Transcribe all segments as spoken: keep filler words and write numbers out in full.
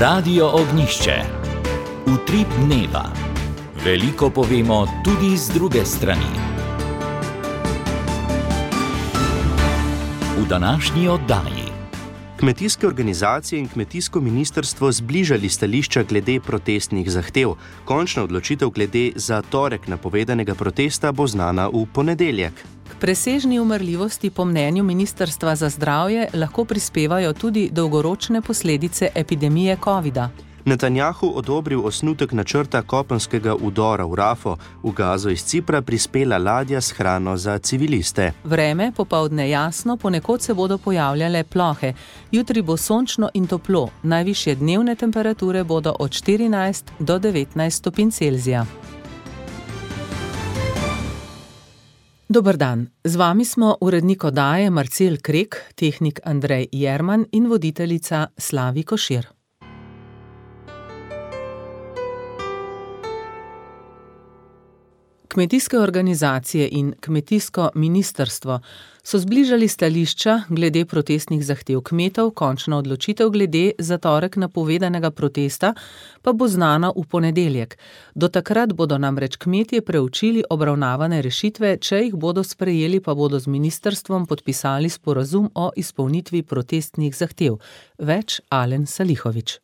Radio Ognjišče. Utrip dneva. Veliko povemo tudi z druge strani. V današnji oddaji. Kmetijske organizacije in kmetijsko ministrstvo zbližali stališča glede protestnih zahtev. Končna odločitev glede za torek napovedanega protesta bo znana v ponedeljek. K presežni umrljivosti po mnenju Ministrstva za zdravje lahko prispevajo tudi dolgoročne posledice epidemije covida. Netanjahu odobril osnutek načrta kopenskega vdora v Rafo, v Gazo iz Cipra prispela ladja s hrano za civiliste. Vreme popoldne jasno, ponekod se bodo pojavljale plohe. Jutri bo sončno in toplo, najvišje dnevne temperature bodo od štirinajst do devetnajst stopinj Celzija. Dober dan, z vami smo urednik oddaje Marcel Krek, tehnik Andrej Jerman in voditeljica Slavi Košir. Kmetijske organizacije in kmetijsko ministrstvo so zbližali stališča glede protestnih zahtev kmetov, končna odločitev glede za torek napovedanega protesta pa bo znana v ponedeljek. Do takrat bodo namreč kmetje preučili obravnavane rešitve, če jih bodo sprejeli, pa bodo z ministrstvom podpisali sporazum o izpolnitvi protestnih zahtev. Več Alen Salihović.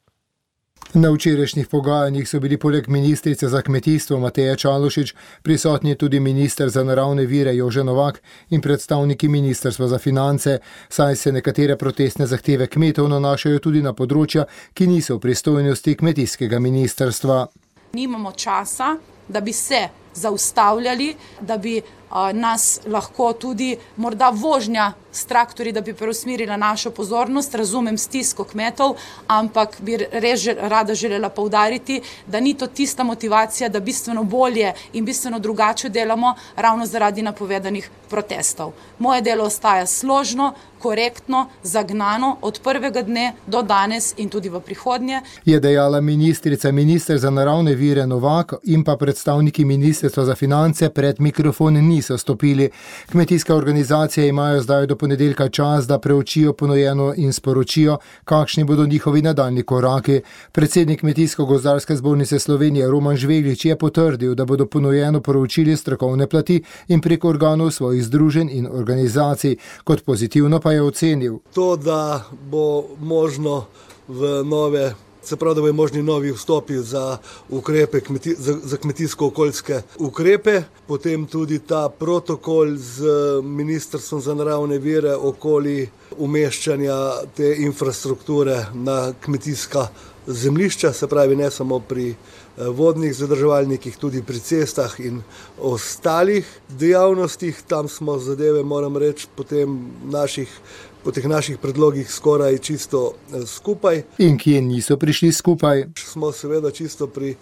Na včerajšnjih pogajanjih so bili poleg ministrice za kmetijstvo Mateje Čalušić prisotni tudi minister za naravne vire Jože Novak in predstavniki ministrstva za finance, saj se nekatere protestne zahteve kmetov nanašajo tudi na področja, ki niso v pristojnosti kmetijskega ministrstva. Nimamo časa, da bi se zaustavljali, da bi uh, nas lahko tudi morda vožnja s traktorji, da bi preusmerila našo pozornost, razumem stisko kmetov, ampak bi res rada želela poudariti, da ni to tista motivacija, da bistveno bolje in bistveno drugače delamo ravno zaradi napovedanih protestov. Moje delo ostaja složno, korektno, zagnano od prvega dne do danes in tudi v prihodnje. Je dejala ministrica, minister za naravne vire Novak in pa predstavniki ministrstva za finance pred mikrofon niso stopili. Kmetijske organizacije imajo zdaj do ponedeljka čas, da preučijo ponujeno in sporočijo, kakšni bodo njihovi nadaljnji koraki. Predsednik Kmetijsko-gozdarske zbornice Slovenije Roman Žveglič je potrdil, da bodo ponujeno proučili strokovne plati in preko organov svojih združenj in organizacij. Kot pozitivno pa je ocenil. To, da bo možno v nove, se pravi, da bo možni novi vstopi za ukrepe, kmeti, za, za kmetijsko-okoljske ukrepe, potem tudi ta protokol z Ministrstvom za naravne vire okoli umeščanja te infrastrukture na kmetijska zemljišča, se pravi ne samo pri vodnih zadrževalnikih, tudi pri cestah in ostalih dejavnostih. Tam smo zadeve, moram reči, potem naših po teh naših predlogih skoraj čisto skupaj. In kje niso prišli skupaj? Smo seveda čisto pri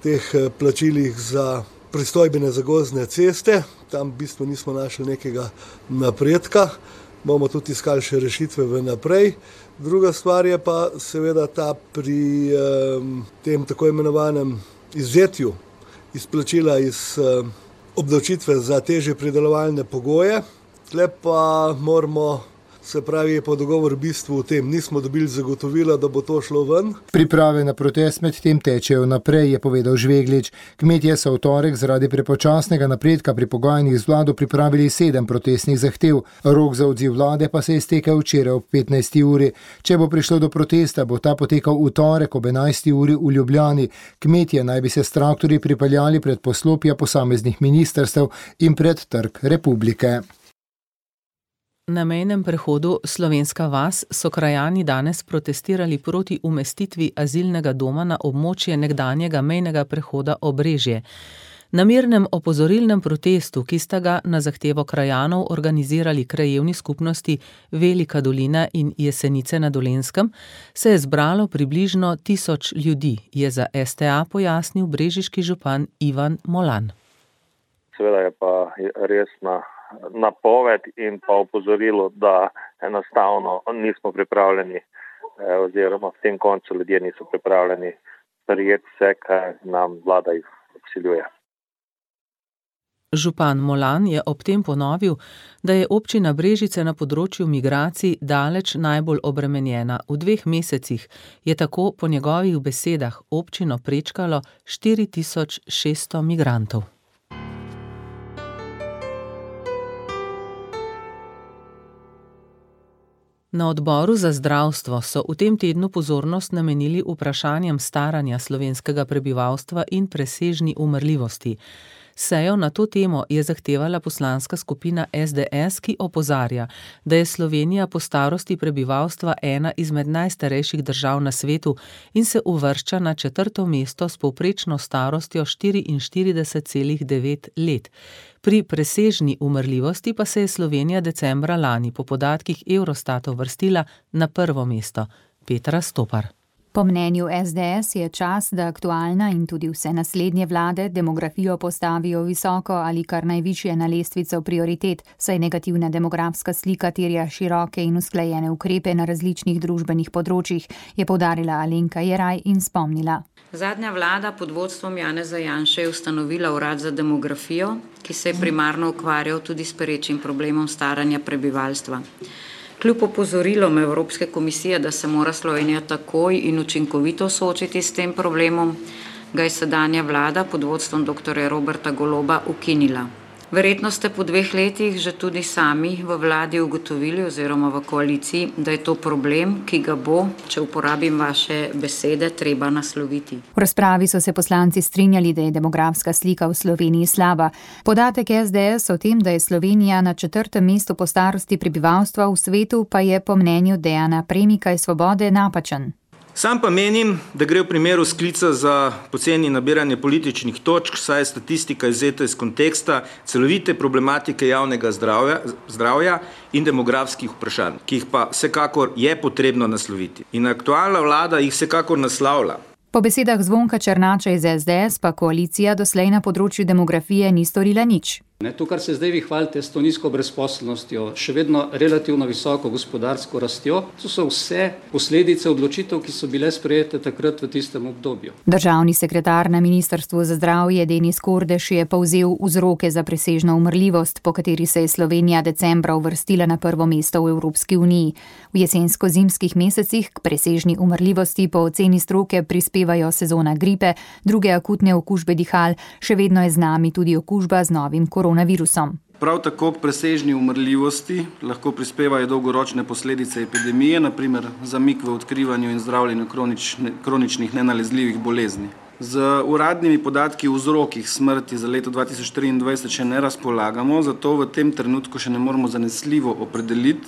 teh plačilih za pristojbine za gozdne ceste. Tam v bistvu nismo našli nekega napredka. Bomo tudi iskali še rešitve v naprej. Druga stvar je pa seveda ta pri um, tem tako imenovanem izvzetju izplačila iz um, obdavčitve za težje pridelovalne pogoje. Tle pa moramo, se pravi, je po dogovor v bistvu v tem. Nismo dobili zagotovila, da bo to šlo ven. Priprave na protest med tem tečejo naprej, je povedal Žveglič. Kmetje so v torek zaradi prepočasnega napredka pri pogajanjih z vlado pripravili sedem protestnih zahtev. Rok za odziv vlade pa se je iztekel včeraj ob petnajsti uri. Če bo prišlo do protesta, bo ta potekal v torek ob enajsti uri v Ljubljani. Kmetje naj bi se s traktorji pripeljali pred poslopja posameznih ministrstev in pred Trg Republike. Na mejnem prehodu Slovenska vas so krajani danes protestirali proti umestitvi azilnega doma na območje nekdanjega mejnega prehoda Obrežje. Na mirnem opozorilnem protestu, ki sta ga na zahtevo krajanov organizirali krajevni skupnosti Velika dolina in Jesenice na Dolenjskem, se je zbralo približno tisoč ljudi, je za S T A pojasnil brežiški župan Ivan Molan. Seveda je pa resna napoved in pa opozorilo, da enostavno nismo pripravljeni oziroma v tem koncu ljudje niso pripravljeni sprejeti vse, kar nam vlada izsiljuje. Župan Molan je ob tem ponovil, da je občina Brežice na področju migracij daleč najbolj obremenjena. V dveh mesecih je tako po njegovih besedah občino prečkalo štiri tisoč šeststo migrantov. Na odboru za zdravstvo so v tem tednu pozornost namenili vprašanjem staranja slovenskega prebivalstva in presežni umrljivosti. Sejo na to temo je zahtevala poslanska skupina S D S, ki opozarja, da je Slovenija po starosti prebivalstva ena izmed najstarejših držav na svetu in se uvršča na četrto mesto s povprečno starostjo štiriinštirideset celih devet let. Pri presežni umrljivosti pa se je Slovenija decembra lani po podatkih Eurostata uvrstila na prvo mesto. Petra Stopar. Po mnenju S D S je čas, da aktualna in tudi vse naslednje vlade demografijo postavijo visoko ali kar najvišje na lestvico prioritet, saj negativna demografska slika terja široke in usklajene ukrepe na različnih družbenih področjih, je poudarila Alenka Jeraj in spomnila. Zadnja vlada pod vodstvom Janeza Janše je ustanovila urad za demografijo, ki se je primarno ukvarjal tudi s perečim problemom staranja prebivalstva. Kljub opozorilom Evropske komisije, da se mora Slovenija takoj in učinkovito soočiti s tem problemom, ga je sedanja vlada pod vodstvom doktorja Roberta Goloba ukinila. Verjetno ste po dveh letih že tudi sami v vladi ugotovili oziroma v koaliciji, da je to problem, ki ga bo, če uporabim vaše besede, treba nasloviti. V razpravi so se poslanci strinjali, da je demografska slika v Sloveniji slaba. Podatek S D S o tem, da je Slovenija na četrtem mestu po starosti prebivalstva v svetu, pa je po mnenju Dejana Premika iz Svobode napačen. Sam pa menim, da gre v primeru sklica za poceni nabiranje političnih točk, saj je statistika izvzeta iz konteksta celovite problematike javnega zdravja, zdravja in demografskih vprašanj, ki jih pa vsekakor je potrebno nasloviti. In aktualna vlada jih vsekakor naslavlja. Po besedah Zvonka Černača iz S D S pa koalicija doslej na področju demografije ni storila nič. Ne, to, kar se zdaj vi hvalite s to nizko brezposelnostjo, še vedno relativno visoko gospodarsko rastjo, to so vse posledice odločitev, ki so bile sprejete takrat v tistem obdobju. Državni sekretar na Ministrstvu za zdravje Denis Kordeš je povzel vzroke za presežno umrljivost, po kateri se je Slovenija decembra uvrstila na prvo mesto v Evropski uniji. V jesensko-zimskih mesecih k presežni umrljivosti po oceni stroke prispevajo sezona gripe, druge akutne okužbe dihal, še vedno je z nami tudi okužba z novim koronavirusom. Prav tako k presežni umrljivosti lahko prispevajo dolgoročne posledice epidemije, naprimer zamik v odkrivanju in zdravljenju kronične, kroničnih nenalezljivih bolezni. Z uradnimi podatki o vzrokih smrti za leto dva tisoč triindvajset še ne razpolagamo, zato v tem trenutku še ne moremo zanesljivo opredeliti,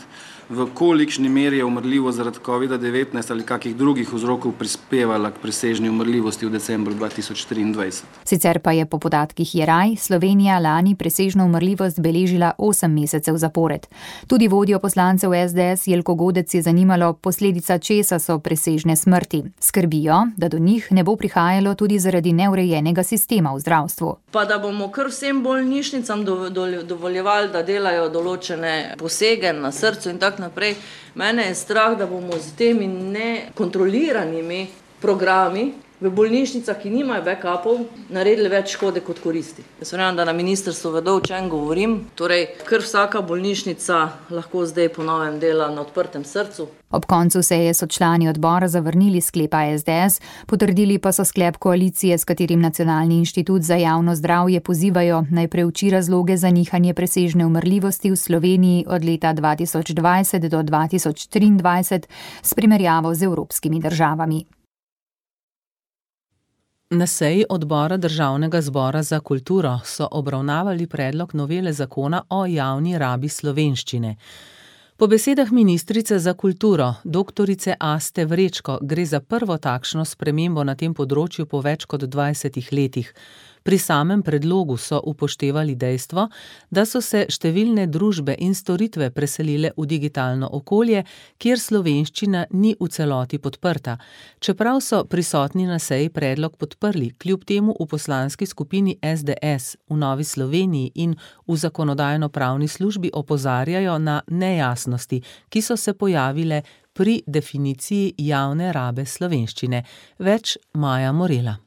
v kolikšni meri je umrljivost zaradi kovida devetnajst ali kakih drugih vzrokov prispevala k presežni umrljivosti v decembru dva tisoč triindvajset. Sicer pa je po podatkih Jeraj Slovenija lani presežno umrljivost beležila osem mesecev zapored. Tudi vodjo poslancev S D S Jelko Godec je zanimalo, posledica česa so presežne smrti. Skrbijo, da do njih ne bo prihajalo tudi zaradi neurejenega sistema v zdravstvu. Pa da bomo kar vsem bolnišnicam dovoljevali, da delajo določene posege na srcu in tako naprej. Mene je strah, da bomo z temi nekontroliranimi programi v bolnišnicah, ki nimajo backupov, naredili več škode kot koristi. Jaz verjamem, da na ministrstvu vedo, o čem govorim. Torej, kar vsaka bolnišnica lahko zdaj po novem dela na odprtem srcu. Ob koncu seje so člani odbora zavrnili sklepa S D S, potrdili pa so sklep koalicije, s katerim Nacionalni inštitut za javno zdravje pozivajo naj preuči razloge za nihanje presežne umrljivosti v Sloveniji od leta dva tisoč dvajset do dva tisoč triindvajset s primerjavo z evropskimi državami. Na seji odbora Državnega zbora za kulturo so obravnavali predlog novele zakona o javni rabi slovenščine. Po besedah ministrice za kulturo, doktorice Aste Vrečko, gre za prvo takšno spremembo na tem področju po več kot dvajsetih letih. Pri samem predlogu so upoštevali dejstvo, da so se številne družbe in storitve preselile v digitalno okolje, kjer slovenščina ni v celoti podprta. Čeprav so prisotni na seji predlog podprli, kljub temu v poslanski skupini S D S, v Novi Sloveniji in v zakonodajno-pravni službi opozarjajo na nejasnosti, ki so se pojavile pri definiciji javne rabe slovenščine. Več Maja Morela.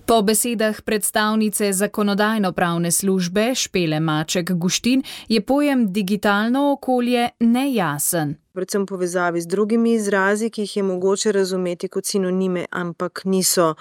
Po besedah predstavnice zakonodajno-pravne službe Špele Maček Guštin je pojem digitalno okolje nejasen. Predvsem v povezavi z drugimi izrazi, ki jih je mogoče razumeti kot sinonime, ampak niso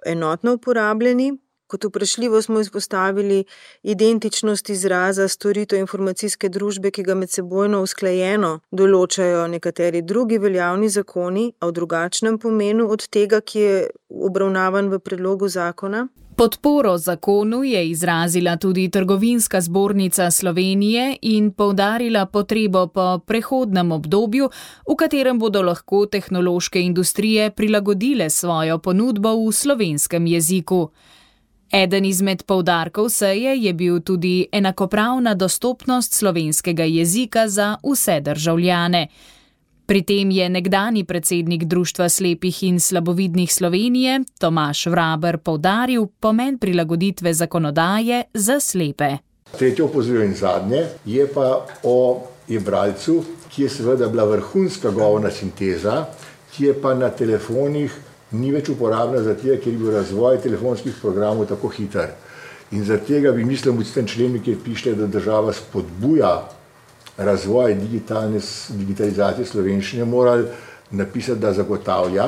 enotno uporabljeni. Kot vprašljivo smo izpostavili identičnost izraza storitev informacijske družbe, ki ga medsebojno usklajeno določajo nekateri drugi veljavni zakoni, a v drugačnem pomenu od tega, ki je obravnavan v predlogu zakona. Podporo zakonu je izrazila tudi Trgovinska zbornica Slovenije in poudarila potrebo po prehodnem obdobju, v katerem bodo lahko tehnološke industrije prilagodile svojo ponudbo v slovenskem jeziku. Eden izmed poudarkov seje je bil tudi enakopravna dostopnost slovenskega jezika za vse državljane. Pri tem je nekdanji predsednik Društva slepih in slabovidnih Slovenije, Tomaž Vraber, poudaril pomen prilagoditve zakonodaje za slepe. Tretje opozorilo in zadnje je pa o e-bralcu, ki je seveda bila vrhunska govorna sinteza, ki je pa na telefonih ni več uporabna zaradi tega, ker je bil razvoj telefonskih programov tako hiter. In zaradi tega bi mislim v tem členu, kjer piše, da država spodbuja razvoj digitalne, digitalizacije slovenščine, morali napisati, da zagotavlja.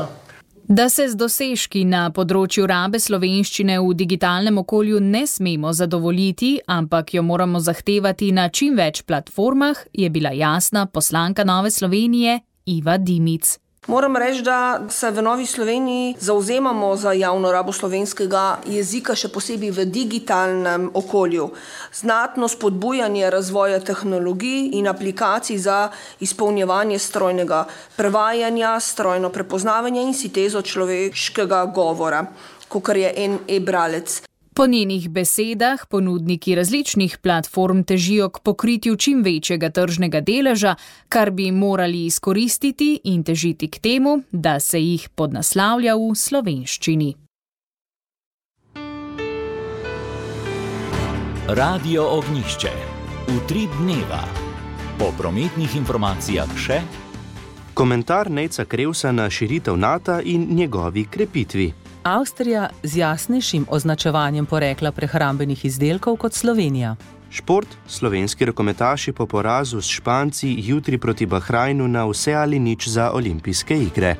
Da se z dosežki na področju rabe slovenščine v digitalnem okolju ne smemo zadovoljiti, ampak jo moramo zahtevati na čim več platformah, je bila jasna poslanka Nove Slovenije Iva Dimic. Moram reči, da se v Novi Sloveniji zauzemamo za javno rabo slovenskega jezika, še posebej v digitalnem okolju. Znatno spodbujanje razvoja tehnologij in aplikacij za izpolnjevanje strojnega prevajanja, strojno prepoznavanje in sintezo človeškega govora, kakor je en e-bralec. Po njenih besedah ponudniki različnih platform težijo k pokritju čim večjega tržnega deleža, kar bi morali izkoristiti in težiti k temu, da se jih podnaslavlja v slovenščini. Radio Ognjišče. Utrip dneva. Po prometnih informacijah še komentar Nejca Krevsa na širitev Nata in njegovi krepitvi. Avstrija z jasnejšim označevanjem porekla prehrambenih izdelkov kot Slovenija. Šport, slovenski rokometaši po porazu s Španci jutri proti Bahrajnu na vse ali nič za olimpijske igre.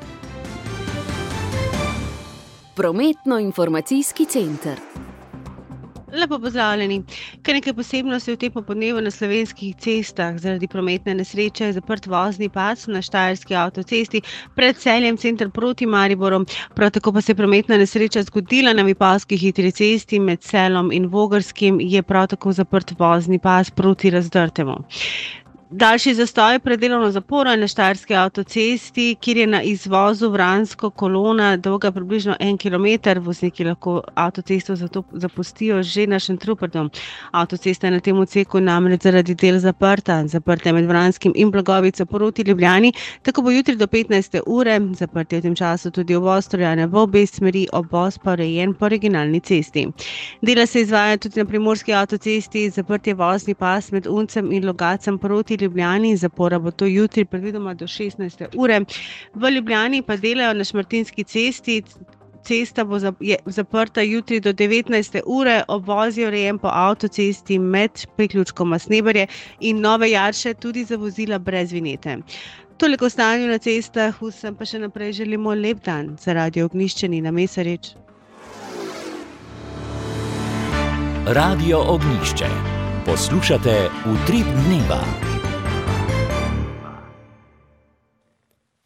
Prometno-informacijski center. Lepo pozdravljeni. Kar nekaj posebnosti v tem popoldnevu na slovenskih cestah. Zaradi prometne nesreče je zaprt vozni pas na Štajerski avtocesti pred Celjem center proti Mariboru. Prav tako pa se je prometna nesreča zgodila na Vipavski hitri cesti med Celom in Vogrskim, je prav tako zaprt vozni pas proti Razdrtemu. Daljši zastoj pred delovno zaporo na Štajerski avtocesti, kjer je na izvozu Vransko kolona dolga približno en kilometer. Vozniki lahko avtocesto zato zapustijo že na Šentrupertu. Avtocesta je na tem odseku namreč zaradi del zaprta. Zaprta je med Vranskim in Blagovico proti Ljubljani, tako bo jutri do petnajste ure. Zaprt je v tem času tudi uvoz Troljane v obe smeri, obvoz pa urejen po regionalni cesti. Dela se izvaja tudi na Primorski avtocesti, zaprt je vozni pas med Uncem in Logacem proti Ljubljani, zapora bo to jutri predvidoma do šestnajste ure. V Ljubljani pa delajo na Šmartinski cesti. Cesta bo zaprta jutri do devetnajste ure, obvoz je urejen po avtocesti med priključkoma Sneberje in Nove Jarše tudi za vozila brez vinjete. Toliko o stanju na cestah, vsem pa še naprej želimo lep dan. Za Radio Ognjišče Nina Mesarič. Radio Ognjišče. Poslušate Utrip dneva.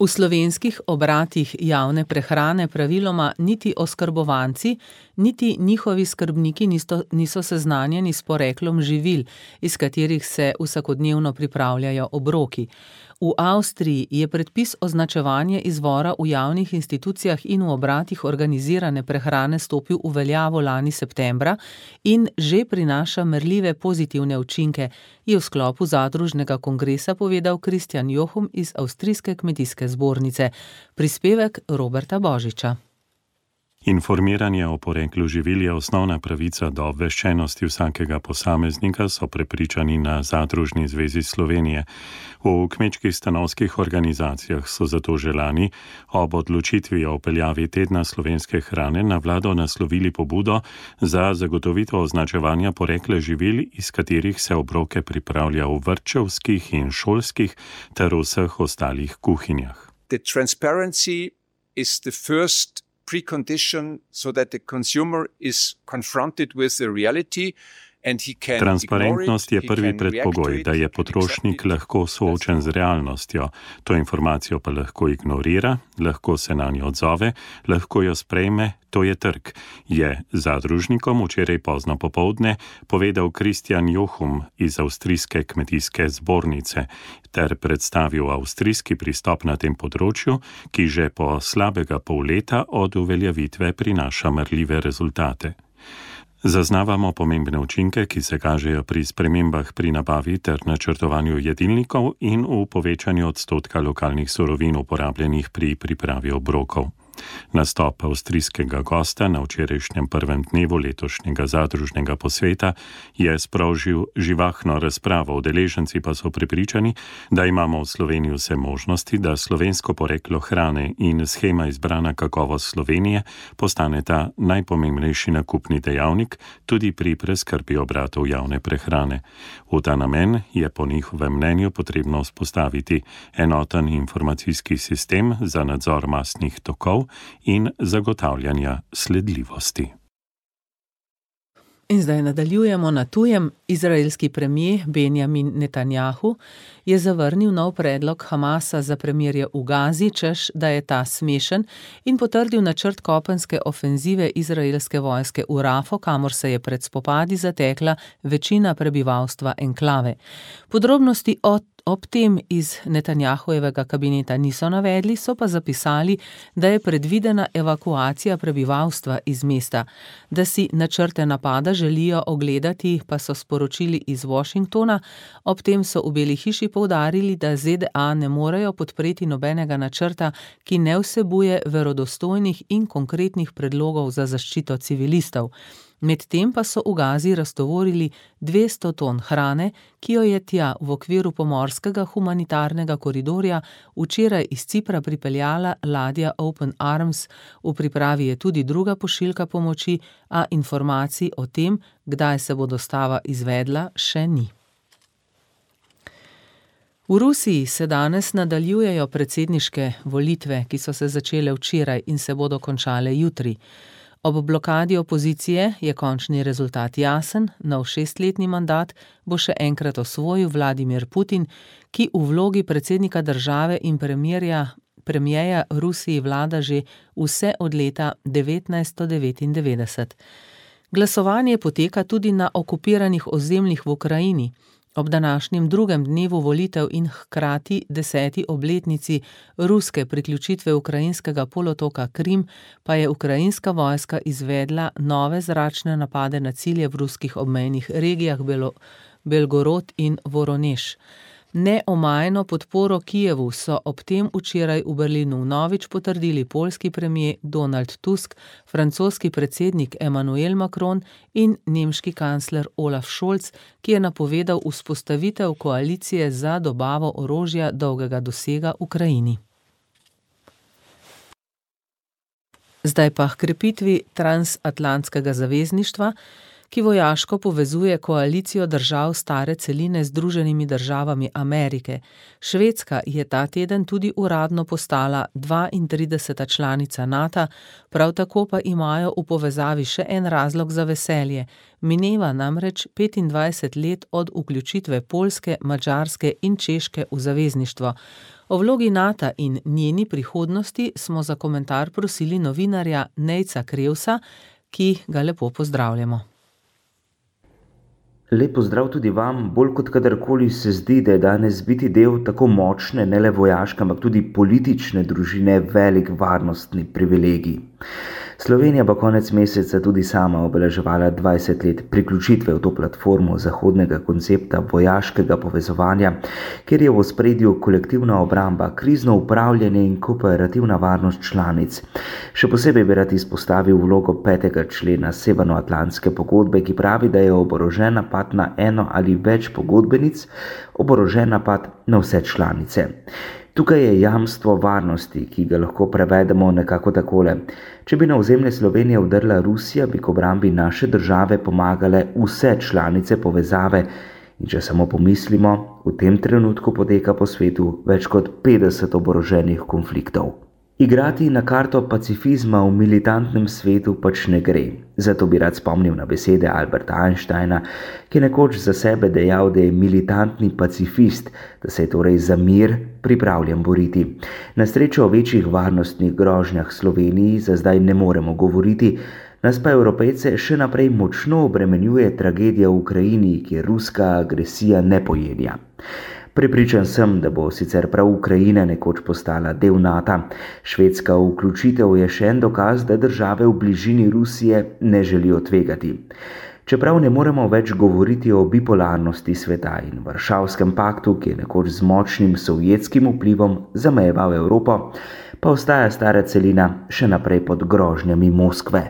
V slovenskih obratih javne prehrane praviloma niti oskrbovanci, niti njihovi skrbniki niso, niso seznanjeni s poreklom živil, iz katerih se vsakodnevno pripravljajo obroki. V Avstriji je predpis označevanja izvora v javnih institucijah in v obratih organizirane prehrane stopil v veljavo lani septembra in že prinaša merljive pozitivne učinke, je v sklopu zadružnega kongresa povedal Kristjan Johum iz Avstrijske kmetijske zbornice. Prispevek Roberta Božiča. Informiranje o poreklu živil je osnovna pravica do obveščenosti vsakega posameznika, so prepričani na Zadružni zvezi Slovenije. V kmečkih stanovskih organizacijah so zato že lani ob odločitvi o vpeljavi tedna slovenske hrane na vlado naslovili pobudo za zagotovitev označevanja porekla živil, iz katerih se obroke pripravlja v vrtčevskih in šolskih ter vseh ostalih kuhinjah. The transparency is the first precondition so that the consumer is confronted with the reality. Transparentnost je prvi predpogoj, da je potrošnik lahko soočen z realnostjo. To informacijo pa lahko ignorira, lahko se na njo odzove, lahko jo sprejme, to je trg, je zadružnikom včeraj pozno popoldne povedal Kristjan Johum iz Avstrijske kmetijske zbornice ter predstavil avstrijski pristop na tem področju, ki že po slabega pol leta od uveljavitve prinaša merljive rezultate. Zaznavamo pomembne učinke, ki se kažejo pri spremembah pri nabavi ter načrtovanju jedilnikov in v povečanju odstotka lokalnih surovin uporabljenih pri pripravi obrokov. Nastop avstrijskega gosta na včerajšnjem prvem dnevu letošnjega zadružnega posveta je sprožil živahno razpravo, udeleženci pa so prepričani, da imamo v Sloveniji vse možnosti, da slovensko poreklo hrane in shema izbrana kakovost Slovenije postaneta najpomembnejši nakupni dejavnik tudi pri preskrbi obratov javne prehrane. V ta namen je po njihovem mnenju potrebno vzpostaviti enoten informacijski sistem za nadzor mastnih tokov in zagotavljanja sledljivosti. In zdaj nadaljujemo na tujem. Izraelski premijer Benjamin Netanjahu je zavrnil nov predlog Hamasa za premirje v Gazi, češ, da je ta smešen, in potrdil načrt kopenske ofenzive izraelske vojske v Rafo, kamor se je pred spopadi zatekla večina prebivalstva enklave. Podrobnosti o Ob tem iz Netanjahujevega kabineta niso navedli, so pa zapisali, da je predvidena evakuacija prebivalstva iz mesta. Da si načrte napada želijo ogledati, pa so sporočili iz Washingtona. Ob tem so v Beli hiši poudarili, da Z D A ne morejo podpreti nobenega načrta, ki ne vsebuje verodostojnih in konkretnih predlogov za zaščito civilistov. Medtem pa so v Gazi raztovorili dvesto ton hrane, ki jo je tja v okviru pomorskega humanitarnega koridorja včeraj iz Cipra pripeljala ladja Open Arms. V pripravi je tudi druga pošiljka pomoči, a informacij o tem, kdaj se bo dostava izvedla, še ni. V Rusiji se danes nadaljujejo predsedniške volitve, ki so se začele včeraj in se bodo končale jutri. Ob blokadi opozicije je končni rezultat jasen, nov šestletni mandat bo še enkrat osvojil Vladimir Putin, ki v vlogi predsednika države in premierja, premierja Rusiji vlada že vse od leta devetnajststo devetindevetdeset. Glasovanje poteka tudi na okupiranih ozemljih v Ukrajini. Ob današnjem drugem dnevu volitev in hkrati deseti obletnici ruske priključitve ukrajinskega polotoka Krim pa je ukrajinska vojska izvedla nove zračne napade na cilje v ruskih obmejnih regijah Belo, Belgorod in Voronež. Neomajno podporo Kijevu so ob tem včeraj v Berlinu vnovič potrdili poljski premijer Donald Tusk, francoski predsednik Emmanuel Macron in nemški kancler Olaf Scholz, ki je napovedal vzpostavitev koalicije za dobavo orožja dolgega dosega Ukrajini. Zdaj pa h krepitvi transatlantskega zavezništva, ki vojaško povezuje koalicijo držav stare celine z Združenimi državami Amerike. Švedska je ta teden tudi uradno postala dvaintrideseta članica NATO, prav tako pa imajo v povezavi še en razlog za veselje. Mineva namreč petindvajset let od vključitve Poljske, Madžarske in Češke v zavezništvo. O vlogi NATO in njeni prihodnosti smo za komentar prosili novinarja Nejca Krevsa, ki ga lepo pozdravljamo. Lep pozdrav tudi vam. Bolj kot kadarkoli se zdi, da je danes biti del tako močne, ne le vojaške, ampak tudi politične družine velik varnostni privilegij. Slovenija bo konec meseca tudi sama obeleževala dvajset let priključitve v to platformo zahodnega koncepta vojaškega povezovanja, kjer je v ospredju kolektivna obramba, krizno upravljanje in kooperativna varnost članic. Še posebej bi rad izpostavil vlogo petega člena Severnoatlantske pogodbe, ki pravi, da je oborožen napad na eno ali več pogodbenic oborožen napad na vse članice. Tukaj je jamstvo varnosti, ki ga lahko prevedemo nekako takole. Če bi na ozemlje Slovenije vdrla Rusija, bi k obrambi naše države pomagale vse članice povezave. In če samo pomislimo, v tem trenutku poteka po svetu več kot petdeset oboroženih konfliktov. Igrati na karto pacifizma v militantnem svetu pač ne gre. Zato bi rad spomnil na besede Alberta Einsteina, ki je nekoč za sebe dejal, da je militantni pacifist, da se je torej za mir pripravljen boriti. Na srečo o večjih varnostnih grožnjah Sloveniji za zdaj ne moremo govoriti, nas pa Evropejce še naprej močno obremenjuje tragedija v Ukrajini, kjer ruska agresija ne pojenja. Prepričan sem, da bo sicer prav Ukrajina nekoč postala del Nata. Švedska vključitev je še en dokaz, da države v bližini Rusije ne želijo tvegati. Čeprav ne moremo več govoriti o bipolarnosti sveta in Varšavskem paktu, ki je nekoč z močnim sovjetskim vplivom zamejeval Evropo, pa ostaja stara celina še naprej pod grožnjami Moskve.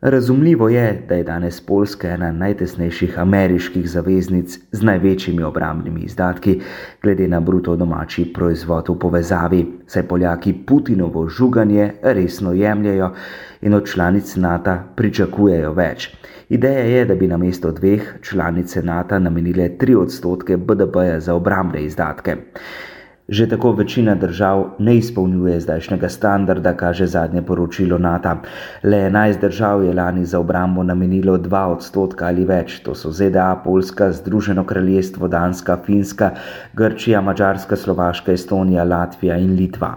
Razumljivo je, da je danes Poljska ena najtesnejših ameriških zaveznic z največjimi obrambnimi izdatki glede na bruto domači proizvod v povezavi, saj Poljaki Putinovo žuganje resno jemljajo in od članic Nata pričakujejo več. Ideja je, da bi namesto dveh članice Nata namenile tri odstotke B D P-ja za obrambne izdatke. Že tako večina držav ne izpolnjuje zdajšnjega standarda, kaže zadnje poročilo Nata. Le enajst držav je lani za obrambo namenilo dva odstotka ali več. To so Z D A, Poljska, Združeno kraljestvo, Danska, Finska, Grčija, Madžarska, Slovaška, Estonija, Latvija in Litva.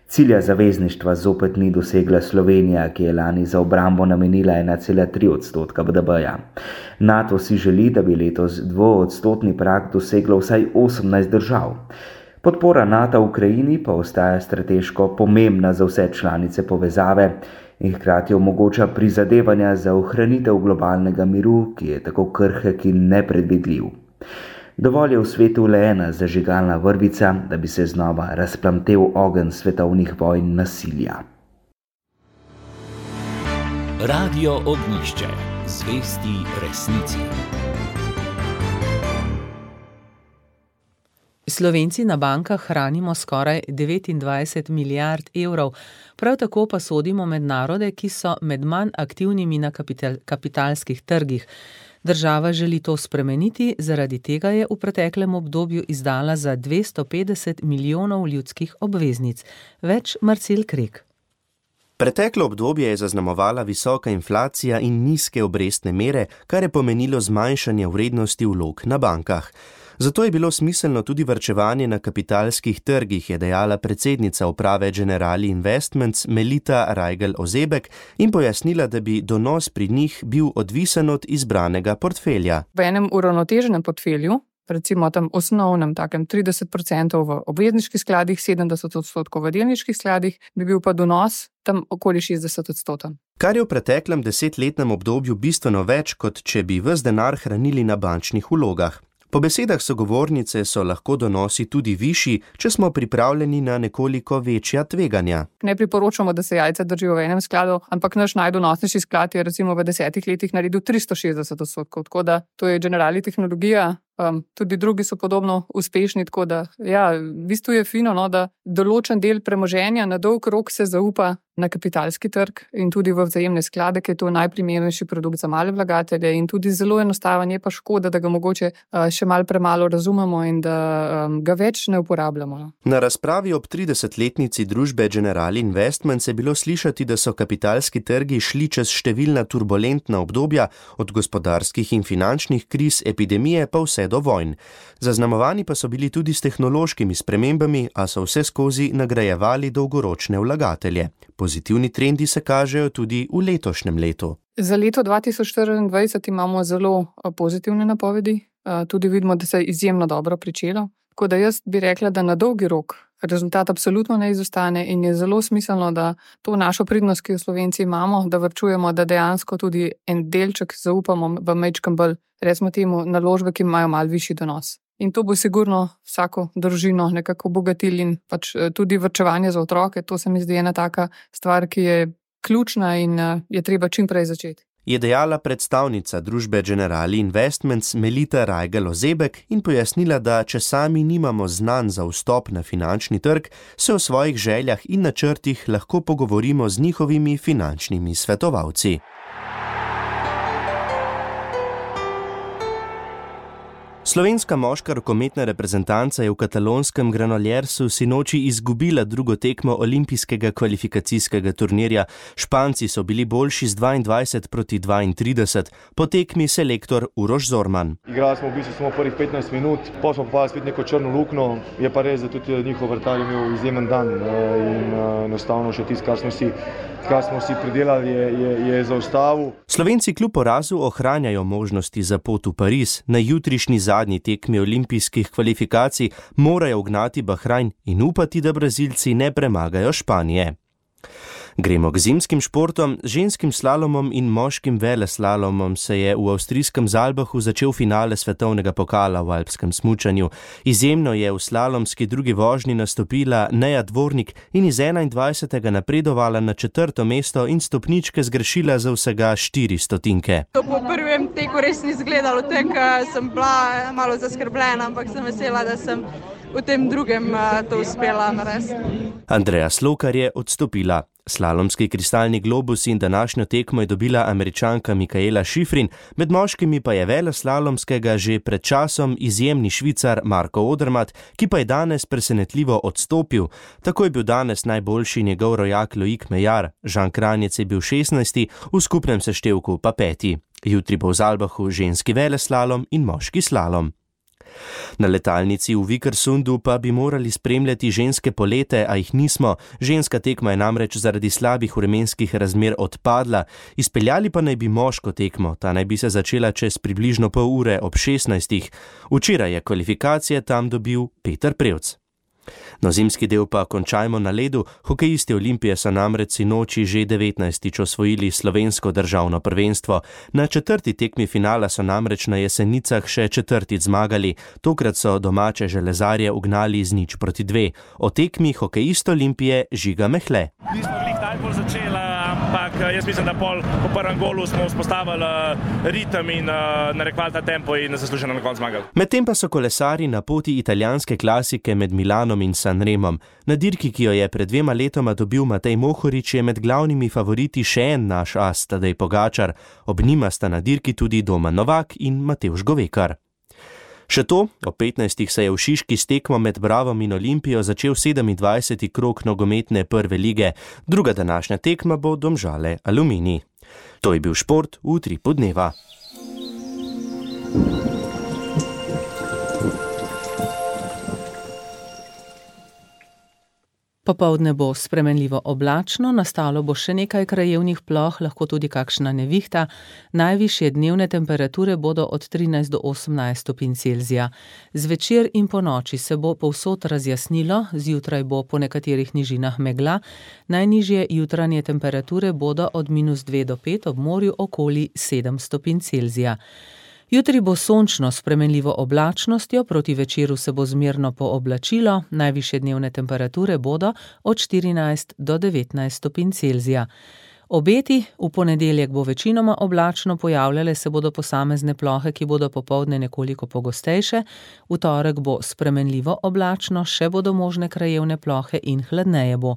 Cilja zavezništva zopet ni dosegla Slovenija, ki je lani za obrambo namenila ena cela tri odstotka B D P-ja. Nato si želi, da bi letos dvoodstotni prag doseglo vsaj osemnajst držav. Podpora Nata v Ukrajini pa ostaja strateško pomembna za vse članice povezave in hkrati omogoča prizadevanja za ohranitev globalnega miru, ki je tako krhek in nepredvidljiv. Dovolj je v svetu le ena zažigalna vrvica, da bi se znova razplamtel ogenj svetovnih vojn nasilja. Radio Ognjišče, zvesti resnici. Slovenci na bankah hranimo skoraj devetindvajset milijard evrov, prav tako pa sodimo med narode, ki so med manj aktivnimi na kapital, kapitalskih trgih. Država želi to spremeniti, zaradi tega je v preteklem obdobju izdala za dvesto petdeset milijonov ljudskih obveznic. Več Marcel Krek. Preteklo obdobje je zaznamovala visoka inflacija in nizke obrestne mere, kar je pomenilo zmanjšanje vrednosti vlog na bankah. Zato je bilo smiselno tudi varčevanje na kapitalskih trgih, je dejala predsednica uprave Generali Investments Melita Rajgel-Ozebek in pojasnila, da bi donos pri njih bil odvisen od izbranega portfelja. V enem uravnoteženem portfelju, recimo tam osnovnem takem trideset procentov v obvezniških skladih, sedemdeset odstotkov v delniških skladih, bi bil pa donos tam okoli šestdeset odstotkov. Kar je v preteklem desetletnem obdobju bistveno več, kot če bi ves denar hranili na bančnih vlogah. Po besedah sogovornice so lahko donosi tudi višji, če smo pripravljeni na nekoliko večja tveganja. Ne priporočamo, da se jajca držijo v enem skladu, ampak naš najdonosnejši sklad je recimo v desetih letih naredil tristo šestdeset odstotkov, tako da to je Generali tehnologija. Um, tudi drugi so podobno uspešni, tako da ja, v bistvu je fino, no, da določen del premoženja na dolg rok se zaupa na kapitalski trg in tudi v vzajemne sklade, ki je to najprimernejši produkt za male vlagatelje in tudi zelo enostaven, je pa škoda, da ga mogoče uh, še malo premalo razumemo in da um, ga več ne uporabljamo. No. Na razpravi ob tridesetletnici družbe Generali Investments je bilo slišati, da so kapitalski trgi šli čez številna turbulentna obdobja, od gospodarskih in finančnih kriz, epidemije pa vse do vojn. Zaznamovani pa so bili tudi s tehnološkimi spremembami, a so vse skozi nagrajevali dolgoročne vlagatelje. Pozitivni trendi se kažejo tudi v letošnjem letu. Za leto dva tisoč štiriindvajset imamo zelo pozitivne napovedi. Tudi vidimo, da se je izjemno dobro pričelo. Tako da jaz bi rekla, da na dolgi rok rezultat absolutno ne izostane in je zelo smiselno, da to našo pridnost, ki jo Slovenci imamo, da varčujemo, da dejansko tudi en delček zaupamo v majčkem bolj, recimo temu, naložbe, ki imajo malo višji donos. In to bo sigurno vsako družino nekako obogatili in pač tudi varčevanje za otroke. To se mi zdi ena taka stvar, ki je ključna in je treba čim prej začeti. Je dejala predstavnica družbe Generali Investments Melita Rajgel-Ozebek in pojasnila, da če sami nimamo znanj za vstop na finančni trg, se o svojih željah in načrtih lahko pogovorimo z njihovimi finančnimi svetovalci. Slovenska moška rokometna reprezentanca je v katalonskem Granollersu sinoči izgubila drugo tekmo olimpijskega kvalifikacijskega turnirja. Španci so bili boljši z dvaindvajset proti dvaintrideset, po tekmi selektor Uroš Zorman. Igrali smo v bistvu samo prvih petnajst minut, pa smo pa spet neko črno luknjo, je pa res, da tudi njihov vratar je imel izjemen dan in enostavno še tisto, kar smo si, kar smo si pridelali, je, je, je zaustavil. Slovenci kljub porazu ohranjajo možnosti za pot v Pariz. Na jutrišnji zadnji tekmi olimpijskih kvalifikacij morajo ugnati Bahrajn in upati, da Brazilci ne premagajo Španije. Gremo k zimskim športom. Ženskim slalomom in moškim veleslalomom se je v avstrijskem Zalbachu začel finale svetovnega pokala v alpskem smučanju. Izjemno je v slalomski drugi vožnji nastopila Neja Dvornik in iz enaindvajsetega napredovala na četrto mesto in stopničke zgrešila za vsega štiri stotinke. To po prvem teku res ni izgledalo tako, sem bila malo zaskrbljena, ampak sem vesela, da sem v tem drugem to uspela narediti. Andreja Slokar je odstopila. Slalomski kristalni globus in današnjo tekmo je dobila Američanka Mikaela Šifrin, med moškimi pa je veleslalomskega že pred časom izjemni Švicar Marko Odermatt, ki pa je danes presenetljivo odstopil. Tako je bil danes najboljši njegov rojak Loic Meillard, Žan Kranjec je bil šestnajsti, v skupnem seštevku pa peti. Jutri bo v Zalbachu ženski veleslalom in moški slalom. Na letalnici v Vikersundu pa bi morali spremljati ženske polete, a jih nismo. Ženska tekma je namreč zaradi slabih vremenskih razmer odpadla. Izpeljali pa naj bi moško tekmo, ta naj bi se začela čez približno pol ure ob šestnajstih. Včeraj je kvalifikacije tam dobil Peter Prevc. No, zimski del pa končajmo na ledu. Hokejisti Olimpije so namreč sinoči že devetnajstič osvojili slovensko državno prvenstvo. Na četrti tekmi finala so namreč na Jesenicah še četrtič zmagali. Tokrat so domače železarje ugnali z nič proti dve. O tekmi hokejist Olimpije Žiga Mehle. Nismo bili najbolj začeli, ampak jaz mislim, da pol po prvem golu smo vzpostavili ritem in narekovali ta tempo in zasluženo na koncu zmagali. Medtem pa so kolesari na poti italijanske klasike med Milanom in Sanremom. Na dirki, ki jo je pred dvema letoma dobil Matej Mohorič, je med glavnimi favoriti še en naš as, Tadej Pogačar. Ob njima sta na dirki tudi Domen Novak in Matevž Govekar. Še to, ob petnajstih se je v Šiški s tekmo med Bravom in Olimpijo začel sedemindvajseti krog nogometne prve lige. Druga današnja tekma bo Domžale Aluminij. To je bil šport v Utripu dneva. Popoldne bo spremenljivo oblačno, nastalo bo še nekaj krajevnih ploh, lahko tudi kakšna nevihta. Najvišje dnevne temperature bodo od trinajst do osemnajst stopinj Celzija. Zvečer in po noči se bo povsod razjasnilo, zjutraj bo po nekaterih nižinah megla. Najnižje jutranje temperature bodo od minus dve do pet, ob morju okoli sedem stopinj Celzija. Jutri bo sončno s spremenljivo oblačnostjo, proti večeru se bo zmerno pooblačilo, najvišje dnevne temperature bodo od štirinajst do devetnajst stopinj Celzija. Obeti, v ponedeljek bo večinoma oblačno, pojavljale se bodo posamezne plohe, ki bodo popoldne nekoliko pogostejše, v torek bo spremenljivo oblačno, še bodo možne krajevne plohe in hladneje bo.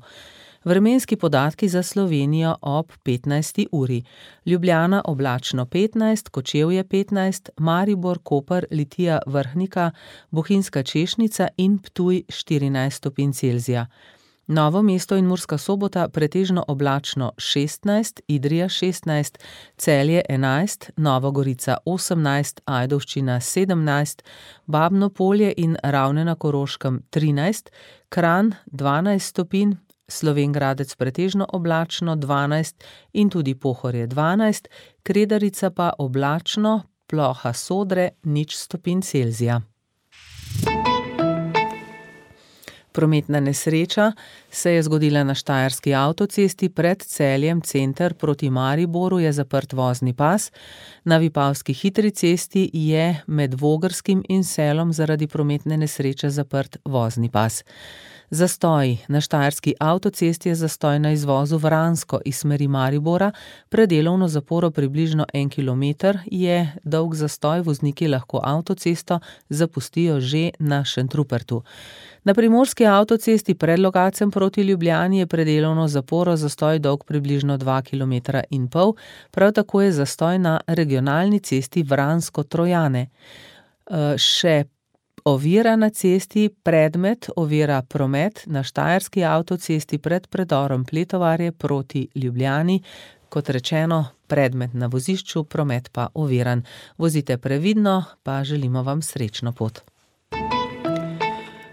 Vremenski podatki za Slovenijo ob petnajsti uri. Ljubljana oblačno petnajst, Kočevje petnajst, Maribor, Koper, Litija, Vrhnika, Bohinjska Češnica in Ptuj štirinajst stopinj Celzija. Novo mesto in Murska Sobota pretežno oblačno šestnajst, Idrija šestnajst, Celje enajst, Nova Gorica osemnajst, Ajdovščina sedemnajst, Babno Polje in Ravne na Koroškem trinajst, Kranj dvanajst stopinj, Slovenj Gradec pretežno oblačno dvanajst in tudi Pohorje dvanajst, Kredarica pa oblačno, ploha Sodre nič stopinj Celzija. Prometna nesreča se je zgodila na Štajerski avtocesti pred Celjem, center proti Mariboru je zaprt vozni pas. Na Vipavski hitri cesti je med Vogrskim in Selom zaradi prometne nesreče zaprt vozni pas. Zastoj. Na Štajerski avtocesti je zastoj na izvozu Vransko iz smeri Maribora. Predelovno zaporo približno en kilometer je dolg zastoj, vozniki lahko avtocesto zapustijo že na Šentrupertu. Na Primorski avtocesti pred Logatcem proti Ljubljani je predelovno zaporo, zastoj dolg približno dva kilometra in pol, prav tako je zastoj na regionalni cesti Vransko-Trojane. Še ovira na cesti, predmet ovira promet na Štajerski avtocesti pred predorom Pletovarje proti Ljubljani. Kot rečeno, predmet na vozišču, promet pa oviran. Vozite previdno, pa želimo vam srečno pot.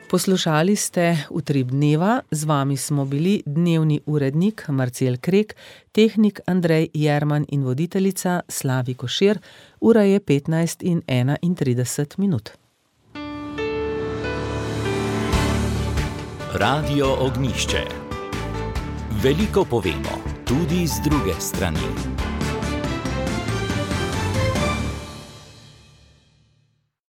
Poslušali ste Utrip dneva, z vami smo bili dnevni urednik Marcel Krek, tehnik Andrej Jerman in voditeljica Slavi Košir. Ura je petnajst in enaintrideset minut. Radio Ognjišče. Veliko povemo, tudi z druge strani.